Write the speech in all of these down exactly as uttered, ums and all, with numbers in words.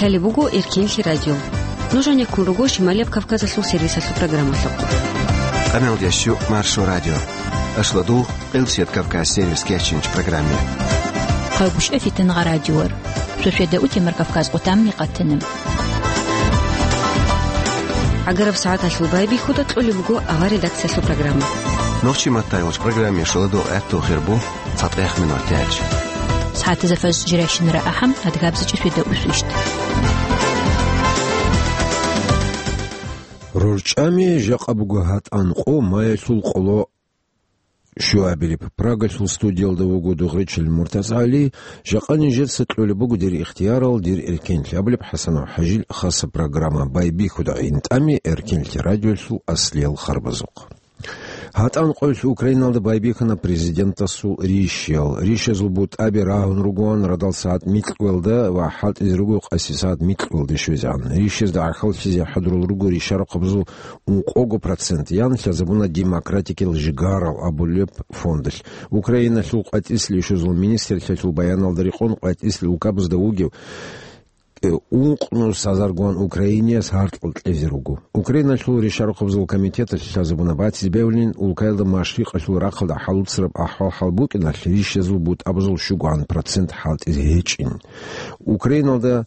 Лъалеб буго Эркенлъи радио. Нуж гьанеккун руго Шималияб Кавказалъул сервисалъул программалъухъ. Къамел ящу Маршо радио. Ашладул, Къилсият Кавказ сервис кечинч программе. Хъайгъушъа фитангъа радиор. Шошеда утемар Кавказ къутамни къатана. Агараб сагӀаталъул байбихьуда кьолеб буго авар редакциялъул программа. Нохчи маттайгъуч программе шоладул гӀатту хирбу. Цадгъех минут тяч. СагӀатазда фаз жирайщинара ахӀам, адгабзичӀи фида усвищт. РорчӀами жакъа буго гьатӀан къо маялъул къоло щуабилеб. Прагалъул студиялда вуго Дугъричил МуртазагӀали, жакъа нижеца кьолеб буго дир ихтиярал, дир эркенлъи абулеб ХӀасанов ХӀажил хаса программа. Байбихьуда гӀинтӀами Эркенлъи радиоялъул аслиял харбазухъ. ГьатӀан къоялъ Украиналда байбихьана президентасул рищал. Рищазул бутӀаби рагьун ругоан радал сагӀат микьгоялда ва хӀалтӀизе руго къаси сагӀат микьгоялде щвезегӀан. Рищазда гӀахьаллъизе хӀадурал руго ришарахъабазул ункъого процент, ян лъазабуна демократикиял жигарал абулеб фондалъ. Украиналъул къватӀислъи ишузул министрлъиялъул баяналда рекъон къватӀислъи улкабазда вугев ункънус азаргуан Украинияс гьаркьал кьезе руго. Украиналъул ришарахъабазул комитеталъ лъазабуна батиз бевлъин, улкаялда машрикъалъул рахъалда хӀалуцараб ахӀвал-хӀал букӀиналъ, рищазул бутӀабазул щугоан процент хӀалтӀизе гьечӀин. Украиналда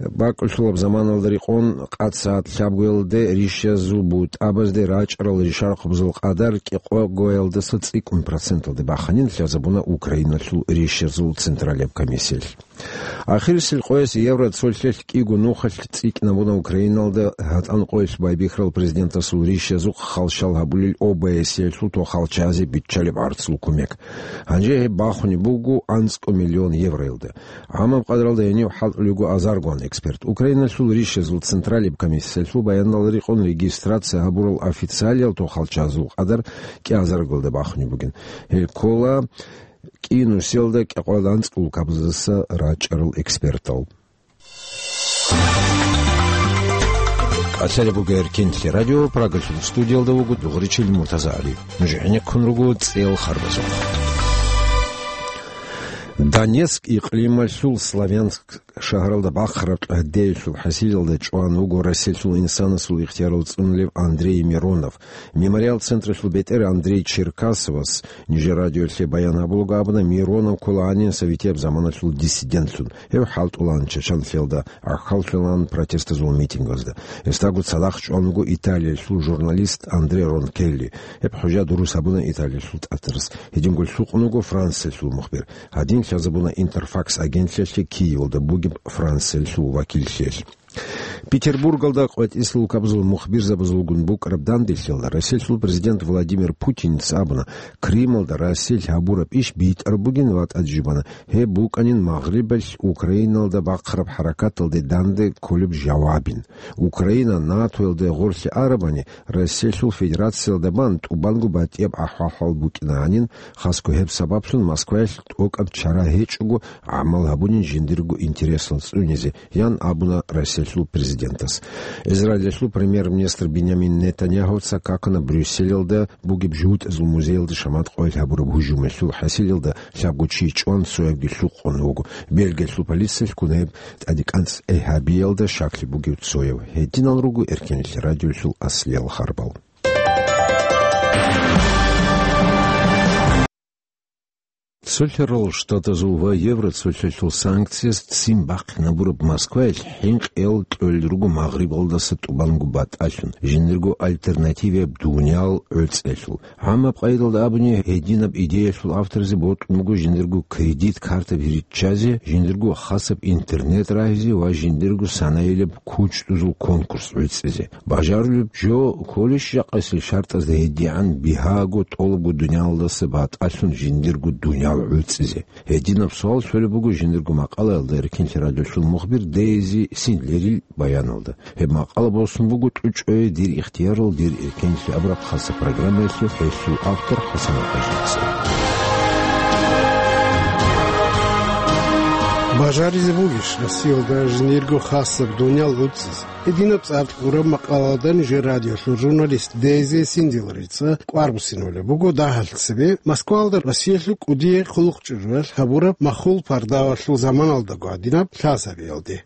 бакӀулъулаб заманалда рекъон къад сагӀат лъабгоялде рищазул бутӀабазде рачӀарал ришарахъабазул къадар кӀикъогоялдаса цӀикӀкӀун проценталде баханин лъазабуна Украиналъул рищазул централияб комиссиялъ. Ахирисел къояс евро цолъалъ кӀиго нухалъ цӀикӀкӀинабуна Украиналда гьатӀан къоялъ байбихьарал президентасул рищазухъ халщал гьабулел ОБСЕ-ялъул тохалчазе биччалеб гӀарцул кумек. Гьанже гьеб бахунеб буго анцӀго миллион евроялда. ГӀамаб къадралда гьенив хӀалтӀулего азаргуан эксперт. Украиналъул рищазул централияб комиссиялъул баянал рекъон регистрация гьабурал официалиял тохалчазул къадар кӀиазаргоялда бахунеб бугин. Гьел ккола кӀинусиялда кӀикъоялда анцӀго улкабаздаса рачӀарал экспертал. Лъалеб буго Эркенлъи радио, Прагалъул студиялда вуго Дугъричил МуртазагӀали. Нуж гӀенеккун руго цӀел харбазухъ. Донецк икълималъул Славянск шагьаралда бахъараб тӀагьдеялъул хӀасилалда чӀван вуго Россиялъул инсанасул ихтиярал цӀунулев Андрей Миронов. Мемориал централъул бетӀер Андрей Черкасовас нижер радиолъе баян гьабулаго абуна, Миронов ккола гьанин советияб заманалъул диссидентлъун. Гьев хӀалтӀулаан Чачанлъиялда, гӀахьаллъулаан протестазул митингазда. Гьесдаго цадахъ чӀван вуго Италиялъул журналист Андре Ронкелли. Гьеб хӀужа дурус гьабуна Италиялъул тӀатарас. Гьединго лъукъун вуго Франциялъул мухбир. Гьадин лъазабуна Интерфакс агентлъиялъе Киевалда бугеб Франциялъул вакиллъиялъ. Петербургалда къватӀислъи улкабазул мухбирзабазулгун букӀараб данделъиялда Россиялъул президент Владимир Путинец абуна, Крымалда Россиялъ гьабураб иш битӀараб бугин ва тӀаде жубана, гьеб букӀанин Магърибалъ Украиналда бахъараб хӀаракаталде данде кколеб жавабин. Украина НАТОялде гъорлъе арабани, Россиялъул Федерациялда бан тӀубанго батӀияб ахӀвал-хӀал букӀина гьанин, хасго гьеб сабаблъун Москваялъ тӀокӀаб чара гьечӀого гӀамал гьабунин жиндирго интересал цӀунизе, ян абуна Россиялъул президентас. Израилалъул премьер-министр Бинямин Нетаньяхуца какана Брюсселалда бугеб жугьутӀазул музеялда шамат къоялъ гьабураб гьужумалъул хӀасилалда лъабго чи чӀван цоябги лъукъун вуго. Бельгиялъул полициялъ ккун гьеб тӀадекӀанцӀ гьабиялда щаклъи бугев цояв. Гьединал руго Эркенлъи радиолъул аслиял харбал. Цолъарал Штатазул ва Евроцолъалъул санкцияс ццин бахъинабураб Москваялъ хӀинкъиял кьолел руго Магърибалдаса тӀубанго батӀалъун, жиндирго альтернативияб дуниял гӀуцӀиялъул. ГӀамаб къайдалда абуни, гьединаб идеялъул авторзи бокьун буго жиндирго кредит картаби риччазе, жиндирго хасаб интернет рагьизе ва жиндирго санаилаб кучӀдузул конкурс гӀуцӀизе. Бажарулеб жо кколищ жакъасел шартӀазда гьедигӀан бигьаго тӀолабго дуниялдаса батӀалъун жиндирго дуниял гӀуцӀизе? Гьединаб суал щолеб буго жиндирго макъалаялда Эркенлъи радиолъул мухбир Дейзи Синдлерил баяналда. Гьеб макъала босун буго тӀучӀое «Дир ихтиярал, дир эркенлъи» абураб хаса программаялъе, гьелъул автор ХӀасан ХӀажица. Бажаризе бугищ Россиялда жиндирго хасаб дуниял гӀуцӀизе? Гьединаб цӀар кьураб макъалаялда нижер радиолъул журналист Дейзи Синдлерица кӀвар буссиналъе буго дагьалъ цебе Москваялда Россиялъул кӀудияй хъулухъчӀужуялъ гьабураб махул пардавалъул заманалдаго гьадинаб лъазабиялде.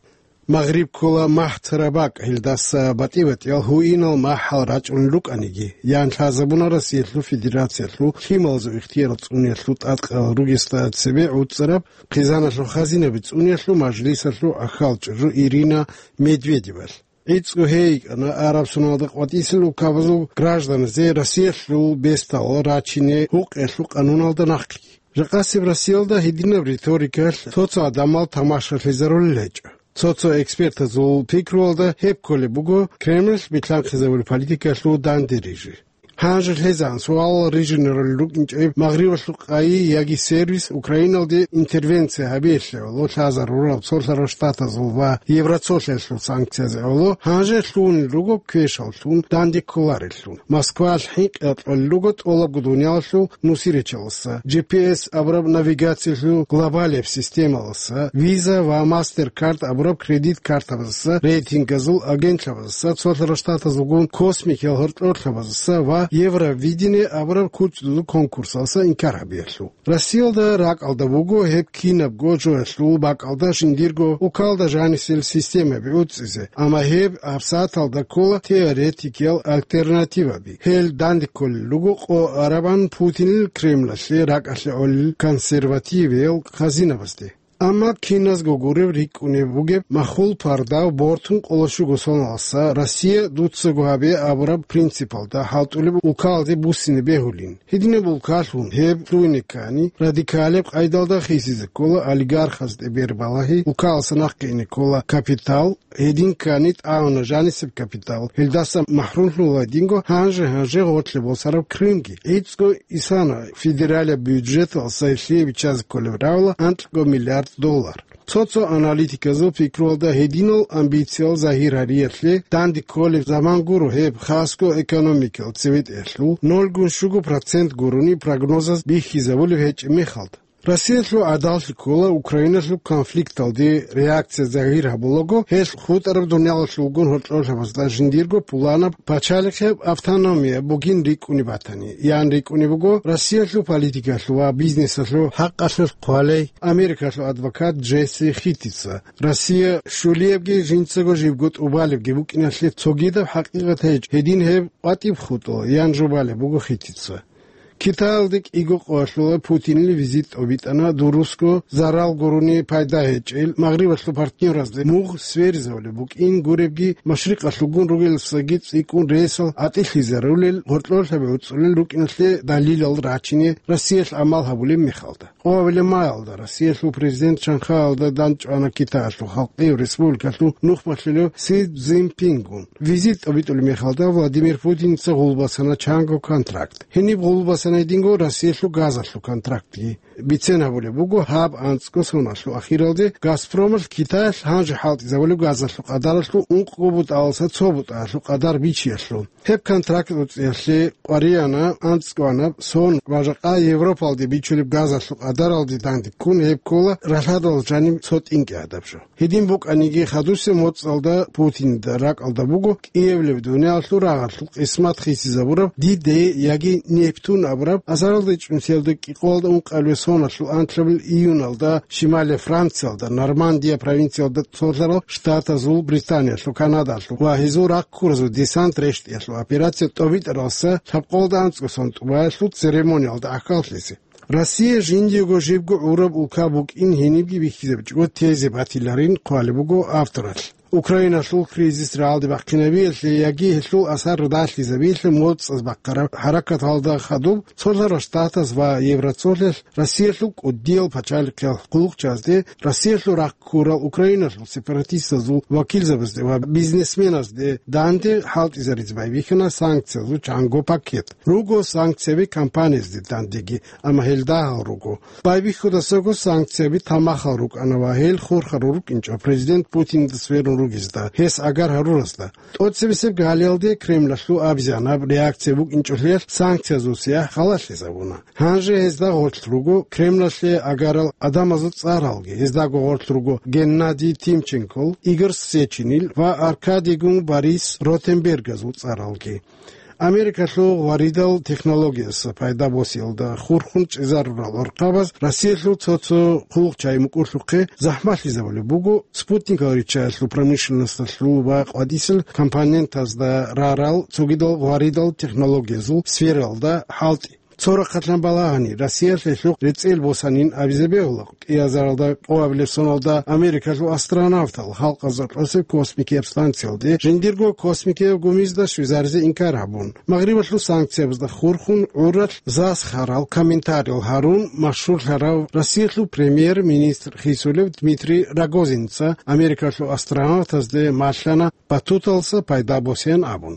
Магъриб ккола магьцараб бакӀ, гьелдаса батӀи-батӀиял гьуинал махӀал рачӀунел рукӀаниги, ян лъазабуна Россиялъул Федерациялъул лъималазул ихтияр цӀуниялъул тӀадкъарал ругесда цебе гӀуцӀараб хъизаналъул хазинаби цӀуниялъул мажлисалъул ахьалчӀужу Ирина Медведевалъ. ГӀицӀго гьей йикӀана Араб Соналда къватӀисел улкабазул гражданазе Россиялъул бесдал рачине гьукъиялъул къануналда нахъги. Жакъасеб Россиялда гьединаб риторикалъ цо-цо гӀадамал тамашалъизарулел гьечӀо. Цо-цо экспертазул пикруялда гьеб кколеб буго Кремль билълъанхъизабулеб политикалъул данде рижи. Гьанже лъезан суалал рижинарулел рукӀинчӀеб Магърибалъул къайи яги сервис Украиналде интервенция гьабиялъе гӀоло лъазарурал Цолъарал Штатазул ва Евроцолъиялъул санкциязе гӀоло гьанже лъугьунел руго квешаллъун данде кколареллъун. Москваялъ хӀинкъи кьолел руго тӀолабго дуниялалъул нусирачаласа, G P S абураб навигациялъул глобалияб системаласа, Visa ва MasterCard абураб кредит картабазаса, рейтингазул агентлъабазаса, Цолъарал Штатазулгун космикиял гьоркьорлъабазаса ва Евровидение абураб кучӀдузул конкурсаласа инкар гьабиялъул. Россиялда ракӀалда буго гьеб кинабго жоялъул бакӀалда жиндирго улкалда жанисел системаби гӀуцӀизе, амма гьеб гьабсагӀаталда ккола теоретикиял альтернативаби. Гьел данде кколел руго къо арабан Путинил Кремлалъе ракӀалъе гӀолел консервативиял хазинабазде. Амма киназго гуреб рикӀкӀунеб бугеб махул пардав бортун къоло щуго соналдаса Россия дуцаго гьабе абураб принципалда хӀалтӀулеб улкалде буссине бегьулин. Гьединаб улкалъун гьеб лъугьине ккани, радикалеб къайдалда хисизе ккола олигархазде бербалагьи, улкаласа нахъе ине ккола капитал, гьедин ккани тӀагӀуна жанисеб капитал, гьелдаса махӀрумлъула гьединго гьанже-гьанже гъорлъе босараб Крымги. ГӀицӀго исана федералияб бюджеталъ сайлъие биччазе кколеб равла анкьго миллиард доллар. Цо-цо аналитиказул пикруялда гьединал амбициял загьир гьариялъе данде кколеб заман гуро гьеб хасго экономикал цеветӀеялъул нолгун щуго процент гурони прогнозаз бихьизабулеб гьечӀеб мехалда. Россиялъул гӀадаллъи ккола Украиналъул конфликталде реакция загьир гьабулаго, гьелъ хутӀараб дуниялалъулгун гьоркьорлъабазда жиндирго пуланаб пачалихъеб автономия бугин рикӀкӀунеб батани, ян рикӀкӀунеб буго Россиялъул политикалъул ва бизнесалъул хӀакъалъулъ хъвалей Америкалъул адвокат Джесси Хитица. Россия щулиябги жинцаго жибго тӀубалебги букӀиналъе цогидаб хӀакъикъат гьечӀ, гьедин гьеб къватӀиб хутӀо, ян жубалеб буго Хитица. Китаялде кӀиго къоялъула Путинил визит тӀобитӀана, дурусго зарал гурони пайда гьечӀел, Магърибалъул партнеразде мугъ сверизавулеб букӀин гуребги, машрикъалъулгун ругеласаги цӀикӀкӀун ресал гӀатӀилъизарулел, гьоркьорлъаби гӀуцӀулел рукӀиналъе далилал рачине Россиялъ гӀамал гьабулеб мехалда. Къоабилеб маялда Россиялъул президент Шанхаялда дандчӀвана Китаялъул Халкъияв Республикалъул нухмалъулев Си Цзиньпингун. Визит тӀобитӀулеб мехалда Владимир Путинца гъулбасана чанго контракт. Гьениб гъулбасана гьединго Россиялъул газалъул контрактги. Бицен гьабулеб буго гьаб анцӀго соналъул ахиралде Газпромалъ Китаялъ гьанже хӀалтӀизабулеб газалъул къадаралъул ункъго бутӀаласа цо бутӀаялъул къадар бичиялъул. Гьеб контракт гӀуцӀиялъе къваригӀана анцӀгоанаб сон ва жакъа Европалде бичулеб газалъул къадаралде дандеккун гьеб ккола ралъадал жаниб цо тӀинкӀи гӀадаб жо. Гьедин букӀаниги, хадусеб моцӀалда Путинда ракӀалда буго кӀиабилеб дуниялалъул рагъалъул къисмат хисизабураб Ди-Дей яги Нептун абураб азаралда чӀунсиялда кӀикъоялда ункъабилеб соналъул анлъабилеб июналда Шималияб Франциялда, Нормандия провинциялда Цолъарал Штатазул, Британиялъул, Канадалъул ва гьезул рахъ ккуразул десант рещтӀиялъул операция тӀобитӀаралдаса лъабкъоялда анцӀго сон тӀубаялъул церемониялда ахӀаллъизе. Россия жиндиего жибго гӀураб улка букӀин гьенибги бихьизабичӀого тезе батиларин хъвалеб буго авторалъ. Украиналъул кризис рагӀалде бахъинабиялъе яги гьелъул асар далъизабиялъе моцӀаз бахъараб хӀаракаталда хадуб Цолъарал Штатаз ва Евроцолъиялъ Россиялъул кӀудиял пачалихъиял хъулухъчазде, Россиялъул рахъ ккурал Украиналъул сепаратистазул вакилзабазде ва бизнесменазде данде хӀалтӀизаризе байбихьана санкциязул чанго пакет. Руго санкцияби компаниязде дандеги, амма гьел дагьал руго. Байбихьудасаго санкцияби тамахал рукӀана ва гьел хурхарал рукӀинчӀо президент Путинда сверун ругезда, гьес агар гьаруразда. ТӀоцебесеб галиялде Кремлалъул абизанаб реакция букӀинчӀолъиялъ санкциязул сияхӀ халалъизабуна. Гьанже гьезда гъорлъ руго Кремлалъе агарал гӀадамазул цӀаралги, гьездаго гъорлъ руго Геннадий Тимченкол, Игорь Сеченил ва Аркадийгун Борис Ротенбергазул цӀаралги. Америкалъул гъваридал технологияса пайда босиялда хурхун чӀезарурал гӀурхъабаз Россиялъул цо-цо хъулухъчагӀи мукӀурлъухъе захӀмалъизабулеб буго спутникал риччаялъул промышленносталъул ва къватӀисел компонентазда рарал цогидал гъваридал технологиязул сфералда хӀалтӀи. Цо рахъалъан балагьани, Россиялъ гьелъухъ рецӀел босанин абизе бегьула, кӀиазаралда къоабилеб соналда Америкалъул астронавтал халкъазда кьосеб космикияб станциялде жиндирго космикияб гумизда щвезаризе инкар гьабун. Магърибалъул санкциябазда хурхун гӀуралъ засхарал комментариял гьарун машгьурлъарав Россиялъул премьер-министр хисулев Дмитрий Рогозинца Америкалъул астронавтазде малъана батуталса пайда босеян абун.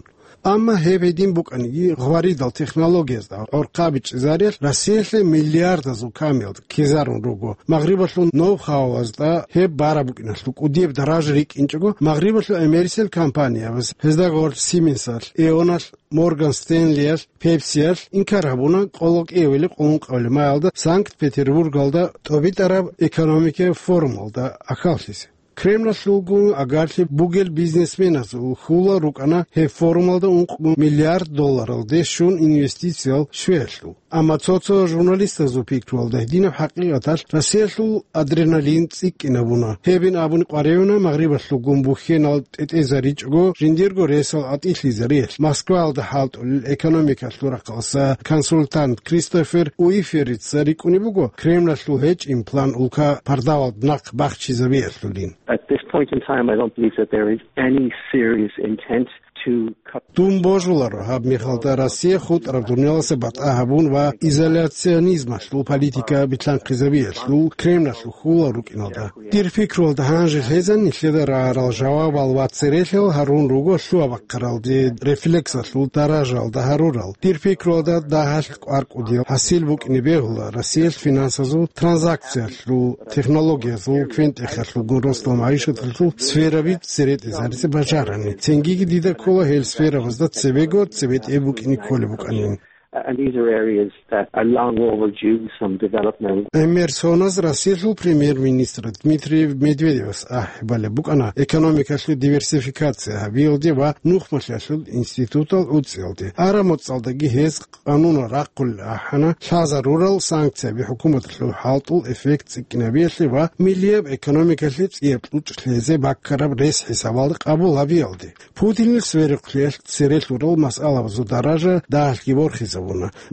Амма гьеб гьедин букӀаниги, гъваридал технологиязда гӀурхъаби чӀезариялъ Россиялъе миллиардазул камиялда ккезарун руго. Магърибалъул ноу-хауазда гьеб бараб букӀиналъул кӀудияб даража рикӀкӀинчӀого, Магърибалъул эмерисел компаниябаз, гьезда гъорлъ Сименсалъ, Эоналъ, Морган Стенлиялъ, Пепсиялъ, инкар гьабуна къоло кӀиявили къуллун къавлимаялда Санкт-Петербургалда тӀобитӀараб экономикаяб форумалда ахьаллъизе. Кремлалъулгун агарлъи бугел бизнесменазул хьулал рукӀана гьеб форумалда ункъго миллиард долларалде щун инвестициял щвеялъул. Амма цо-цо журналистазул пикруялда гьединаб хӀакъикъаталъ Россиялъул адреналин цӀикӀкӀинабуна. Гьебин абуни къваригӀуна Магърибалъулгун бухьенал тӀетӀезаричӀого жиндирго ресал гӀатӀилъизариялъ, Москваялда хӀалтӀулел экономикалъул рахъалъа консультант Кристофер Уиферица рикӀкӀунеб буго Кремлалъул гьечӀин план улка пардавалда нахъ бахчизабиялъулин. At this point in time, I don't believe that there is any serious intent to cut. Дун божуларо гьаб мехалда Россия хутӀараб дунияласа батӀа гьабун ва изоляционизмалъул политика билълъанхъизабиялъул Кремлалъул хьулал рукӀиналда. Дир пикруялда гьанже лъезан нилъеда рагӀарал жавабал ва церехъал гьарун руго лъугьа-бахъаралде рефлексалъул даражалда гьарурал. Дир пикруялда дагьалъ кӀвар-кӀудиял хӀасил букӀине бегьула Россиялъ финансазул транзакциялъул технологиязул квен-тӀехалъулгун росдал магӀишаталъул сфераби цере тӀезаризе бажарани. Цинги дида ккола гьел сферабазда цебего цебетӀе букӀине кколеб букӀанин. And these are areas that are long overdue some development. ГӀемер соназ Россиялъул премьер-министр Дмитрий Медведевас ахӀи балеб букӀана экономикалъул диверсификация гьабиялде ва нухмалъиялъул институтал гӀуцӀиялде. Араб моцӀалдаги гьез къанунал рахъулел ахӀана лъазарурал санкцияби хӀукуматалъул хӀалтӀул эффект цӀикӀкӀинабиялъе ва миллияб экономикалъе цӀияб кьучӀ лъезе баккараб рес хӀисабалда къабул гьабиялде. Путинил сверухълъиялъ цере лъурал масъалабазул даража дагьалъги борхизабуна.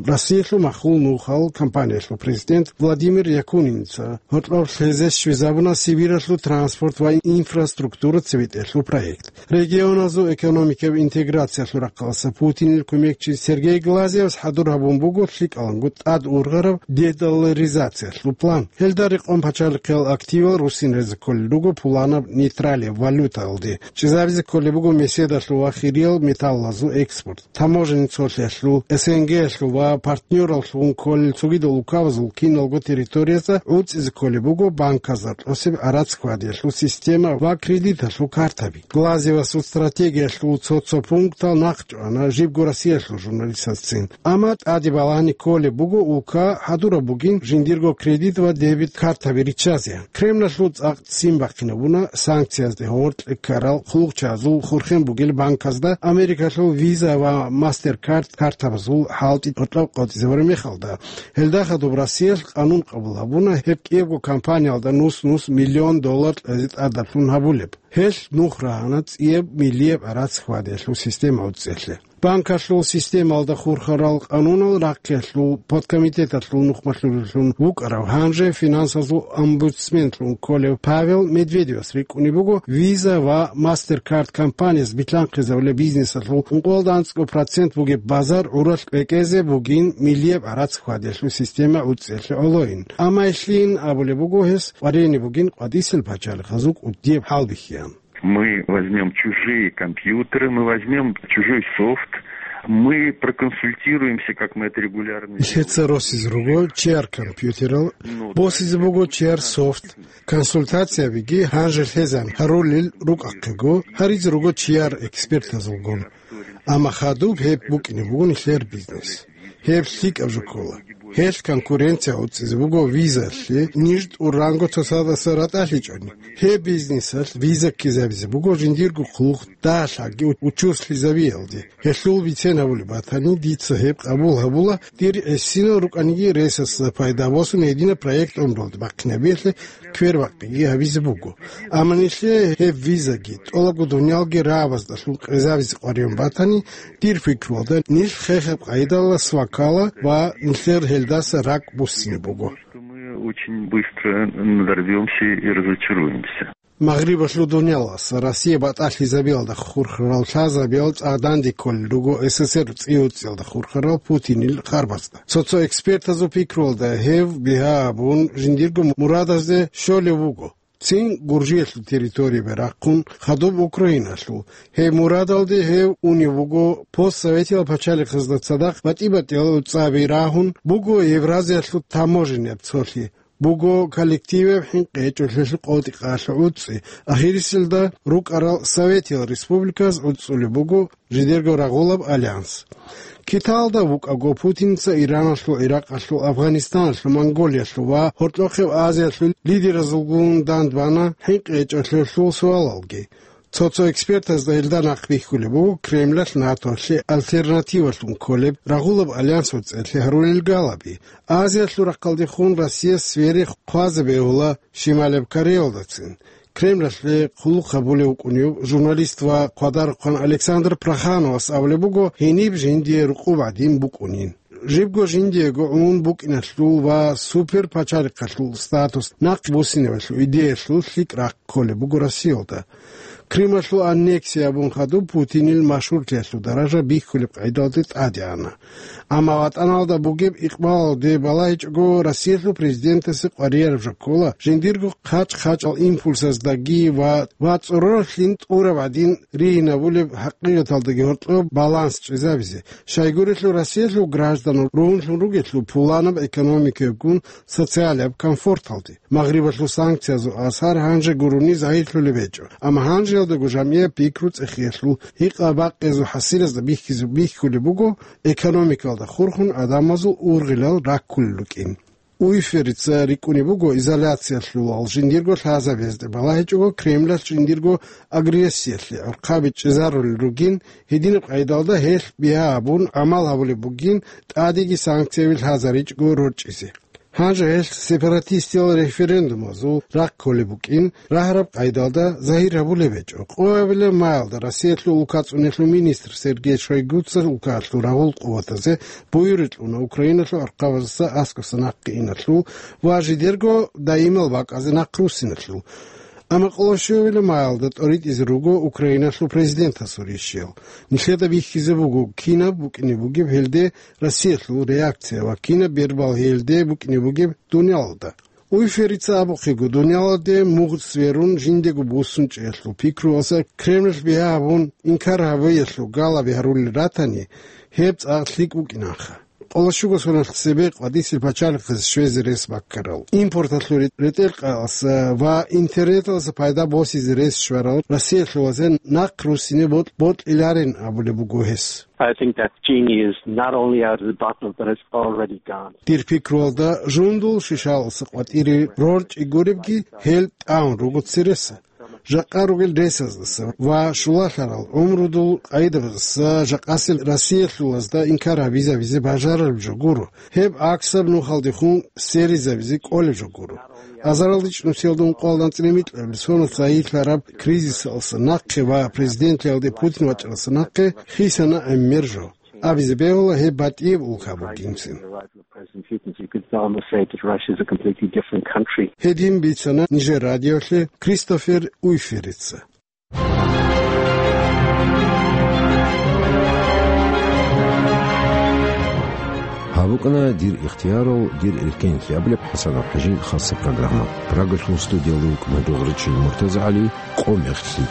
Россиялъул махул нухал компаниялъул президент Владимир Якунинца гьоркьоб лъезе щвезабуна Сибиралъул транспорт ва инфраструктура цебетӀелъул проект. Регионазул экономикаб интеграциялъул рахъалъа Путинил кумекчи Сергей Глазьевас хӀадур гьабун буго лъикӀаланго тӀад ургъараб дедолларизациялъул план. Гьелда рекъон пачалихъиял активал руссинразе кколел руго пуланаб нейтралияб валютаялде. ЧӀезабизе кколеб буго меседалъул ва хириял металлазул экспорт. Таможенный цолъиялъул, СНГ-ялъул ва партнёраллъун кколел цогидал улкабазул киналго территориязда гӀуцӀизе кколеб буго банказда кьосеб гӀарац хьвадиялъул система ва кредиталъул картаби. Глазьевасул стратегиялъул цо-цо пунктал нахъчӀвана жибго Россиялъул журналистазцин. Амма тӀаде балагьани кколеб буго улка хӀадураб бугин жиндирго кредит ва дебит картаби риччазе. Кремлалъул цӀакъ ццин бахъинабуна санкциязде гьоркье ккарал хъулухъчагӀазул хурхен бугел банказда Америкалъул Visa ва MasterCard картабазул хӀалтӀи гьоркьоб къотӀизабураб мехалда. Гьелда хадуб Россиялъ къанун къабул гьабуна гьеб кӀиябго компаниялда нус-нус миллион доллар кьезе тӀадаб лъун гьабулеб. Гьелъ нух рагьана цӀияб миллияб гӀарац хьвадиялъул система гӀуцӀиялъе. Банкалъул системалда хурхарал къанунал рахъиялъул подкомитеталъул нухмалъулеллъун вукӀарав, гьанже финансазул омбудсменлъун кколев Павел Медведевас рикӀкӀунеб буго Visa ва MasterCard компанияс билълъанхъизабулеб бизнесалъул ункъоялда анцӀго процент бугеб базар гӀуралъ кӀвекӀезе бугин миллияб гӀарац хьвадиялъул система гӀуцӀиялъе гӀолойин. Амма гьелъин абулеб буго гьес къваригӀине бугин къватӀисел пачалихъазул кӀудияб хӀалбихьиян. Мы возьмём чужие компьютеры, мы возьмём чужой софт, мы проконсультируемся, как мы это регулярно делаем. Лъеца росизе руго чияр компьютерал, босизе буго чияр софт. Консультациябиги гьанже лъезан гьарулел рукӀахъего, гьаризе руго чияр экспертазулгун. Амма хадуб гьеб букӀине буго нилъер бизнес. Гьеб лъикӀаб жо ккола. Гьелъ конкуренция гӀуцӀизе буго визалъе, ниж тӀуранго цоцадаса ратӀалъичӀони. Гьеб бизнесалъ виза ккезабизе буго жиндирго хъулухъ дагьлъаги учуслъизабиялде. Гьелъул бицен гьабулеб батани, дица гьеб къабул гьабула, дир гӀисинал рукӀаниги ресасда пайда босун гьединаб проект гӀумруялде бахъинабиялъе квербакъиги гьабизе буго. Амма нилъее гьеб визаги, тӀолабго дунялги рагӀабаздалъун къезабизе къваригӀун батани, дир пикруялда, нилъ хехаб къайдалас ваккала ва нилъер гьелдаса ракӀ буссине буго. Мы очень быстро надорвёмся и разочаруемся. Магърибалъул дуниялас Россия батӀалъизабиялда хурхарал лъазабиял цӀакъ данде кколел руго СССР цӀи-уцӀиялда хурхарал Путинил харбазда. Цо-цо экспертазул пикруялда гьев бигьа абун жиндирго мурадазде щолев вуго. Цин Гуржиялъул территориябе рахъун, хадуб Украиналъул. Гьеб мурадалде гьев унев вуго постсоветиял пачалихъазда цадахъ батӀи-батӀиял цӀаби рагьун, буго Евразиялъул таможеннияб цолъи, буго коллективаб хӀинкъи гьечӀолъиялъул къотӀи-къалъи гӀуцӀи, ахириселда рукӀарал советиял республиказ гӀуцӀулеб буго жидерго рагъулаб альянс. Киталда вукӀаго Путинца Ираналъул, Иракъалъул, Афганистаналъул, Монголиялъул ва гьоркьохъеб Азиялъул лидеразулгун дандбана хӀинкъи гьечӀолъиялъул суалалги. Цо-цо экспертазда гьелда нахъ бихьулеб буго Кремлалъ НАТОлъе альтернативалъун кколеб рагъулаб альянс гӀуцӀиялъе гьарулел галаби. Азиялъул рахъалдехун Россияс сфери хъвазе бегьула Шималаб Кореялдацин. Кремлалъе хъулухъ гьабулев вукӀунев журналист ва хъвадарухъан Александр Прохановас абулеб буго гьениб жиндие рукъуб гӀадин букӀунин. Жибго жиндиего гӀун букӀиналъул ва суперпачалихъалъул статус нахъ буссинабалъул идеялъул лъикӀ рахъ кколеб буго Россиялда. Крымалъул аннексия абун хадуб Путинил машгьурлъиялъул даража бихьулеб къайдалде тӀаде ана. Амма ватӀаналда бугеб икъбалалде балагьичӀого, Россиялъул президентасе къварияраб жо ккола жиндирго хъачӀ-хъачӀал импульсаздаги ва, ва цӀороралъин тӀураб гӀадин ригьинабулеб хӀакъикъаталдаги гьоркьоб баланс чӀезабизе, щайгурелъул Россиялъул гражданал ругьунлъун ругелъул пуланаб экономикаябгун социалияб комфорталде. Магърибалъул санкциязул асар гьанже гурони загьирлъулеб гьечӀо, амма гьанжеялдаго жамгӀияб пикру-цӀехиялъул гьикъа-бакъиязул хӀасилазда бихьизе-, бихьулеб буго экономикалда хурхун гӀадамазул ургъилал раккулел рукӀин. Уйферица рикӀкӀунеб буго изоляциялъулал жиндирго лъазабиязде балагьичӀого Кремлалъ жиндирго агрессиялъе гӀурхъаби чӀезарулел ругин, гьединаб къайдалда гьелъ бигьа абун гӀамал гьабулеб бугин, тӀадеги санкцияби лъазаричӀого рорчӀизе. Гьанже гьелъ сепаратистиял референдумазул рахъ кколеб букӀин, рагьараб къайдалда загьир гьабулеб гьечӀо. Къоабилеб маялда Россиялъул улкацӀунелъул министр Сергей Шойгуца улкалъул рагъул къуватазе буюрикь уна Украиналъул архъабазаса аскӀоса нахъе иналъул ва жидерго даимал бакӀазе нахъ руссиналъул. Амма къоло щуабилеб маялда тӀоритӀизе руго Украиналъул президентасул ришиял. Нилъеда бихьизе буго, кинаб букӀине бугеб гьелде Россиялъул реакция ва кинаб бербал гьелде букӀине бугеб дуниялалда. Уйферица абухъего, дуниялалде мугъ сверун жиндего буссун чӀеялъул пикруялъа Кремль бигьа гьабун инкар гьабиялъул галаби гьарулел ратани, гьеб цӀакъ лъикӀ букӀинанха. Къоло щуго соналъ цебе къватӀисел пачалихъаз щвезе рес баккарал, импорталъул ретӀел-къаялъа ва интернеталъа пайда босизе рес щварал Россиялъулазе нахъ руссине бокь-, бокьиларин абулеб буго гьес. I think that genie is not only out of the bottle, but it's already gone. Дир пикруялда, жундул шишалъуса къватӀире рорчӀи гуребги, гьел тӀагӀун руго цереса. Жакъа ругел ресаздаса ва щулалъарал гӀумрудул къайдабаздаса жакъасел Россиялъулазда инкар гьабизабизе бажарараб жо гуро. Гьеб гӀаксаб нухалдехун серизабизе кӀолеб жо гуро. Азаралда чӀунусиялда ункъоялда анцӀила микьабилеб соналъ загьирлъараб кризисалъа нахъе ва президентлъиялде Путин вачӀаралъа нахъе хисана гӀемер жо. Абизе бегьула гьеб батӀияб улка бугинцин. President Putin, so you could almost say that Russia is a completely different country. Гьедин бицана нижер радиолъе Кристофер Уйферица. Гьаб букӀана «Дир ихтиярал, дир эркенлъи» абулеб ХӀасанов ХӀажин хасса программа. Прагалъул студиялда вукӀана дугӀричил МуртазагӀали, къо мехлъи.